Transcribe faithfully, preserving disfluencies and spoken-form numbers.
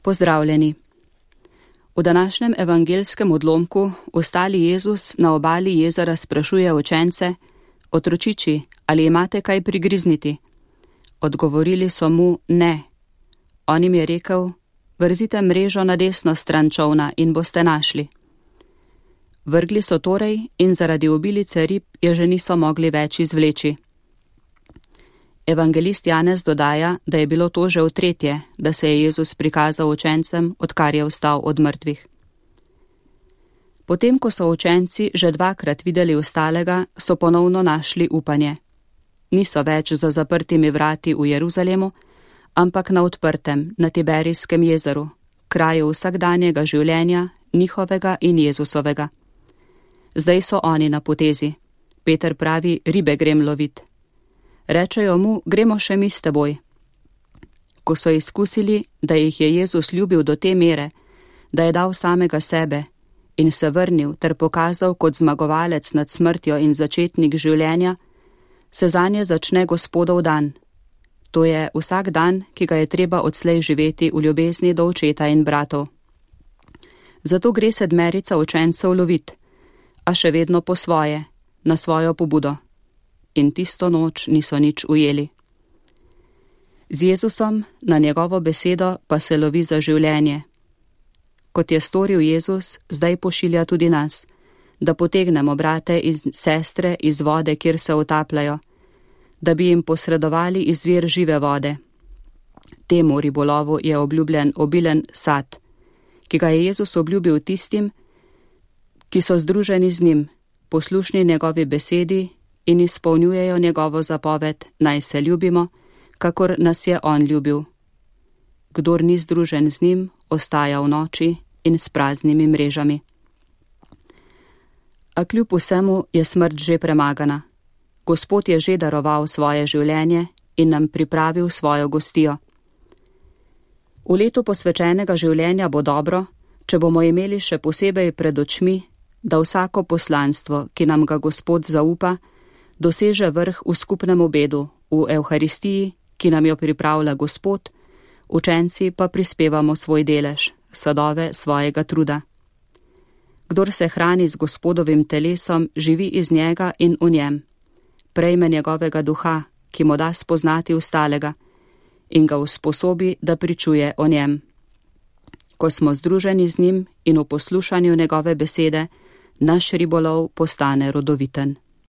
Pozdravljeni. V današnjem evangelskem odlomku ostali Jezus na obali jezera sprašuje učence: Otročiči, ali imate kaj prigrizniti? Odgovorili so mu: ne. On jim je rekel: vrzite mrežo na desno stran čolna in boste našli. Vrgli so torej in zaradi obilice rib je že niso mogli več izvleči. Evangelist Janez dodaja, da je bilo to že v tretje, da se je Jezus prikazal učencem, odkar je vstal od mrtvih. Potem, ko so učenci že dvakrat videli ostalega, so ponovno našli upanje. Niso več za zaprtimi vrati v Jeruzalemu, ampak na odprtem, na Tiberijskem jezeru, kraju vsakdanjega življenja, njihovega in Jezusovega. Zdaj so oni na potezi. Peter pravi: ribe grem lovit. Rečejo mu: gremo še mi s teboj. Ko so izkusili, da jih je Jezus ljubil do te mere, da je dal samega sebe in se vrnil ter pokazal kot zmagovalec nad smrtjo in začetnik življenja, se zanje začne Gospodov dan. To je vsak dan, ki ga je treba odslej živeti v ljubezni do očeta in bratov. Zato gre sedmerica učencev lovit, a še vedno po svoje, na svojo pobudo. In tisto noč niso nič ujeli. Z Jezusom na njegovo besedo pa se lovi za življenje. Kot je storil Jezus, zdaj pošilja tudi nas, da potegnemo brate in sestre iz vode, kjer se utapljajo, da bi jim posredovali izvir žive vode. Temu ribolovu je obljubljen obilen sad, ki ga je Jezus obljubil tistim, ki so združeni z njim, poslušni njegovi besedi in izpolnjujejo njegovo zapoved, naj se ljubimo, kakor nas je on ljubil. Kdor ni združen z njim, ostaja v noči in s praznimi mrežami. A kljub vsemu je smrt že premagana. Gospod je že daroval svoje življenje in nam pripravil svojo gostijo. V letu posvečenega življenja bo dobro, če bomo imeli še posebej pred očmi, da vsako poslanstvo, ki nam ga Gospod zaupa, doseže vrh v skupnem obedu, v Evharistiji, ki nam jo pripravlja Gospod, učenci pa prispevamo svoj delež, sadove svojega truda. Kdor se hrani z Gospodovim telesom, živi iz njega in v njem. Prejme njegovega duha, ki mu da spoznati ostalega, in ga usposobi, da pričuje o njem. Ko smo združeni z njim in v poslušanju njegove besede, naš ribolov postane rodoviten.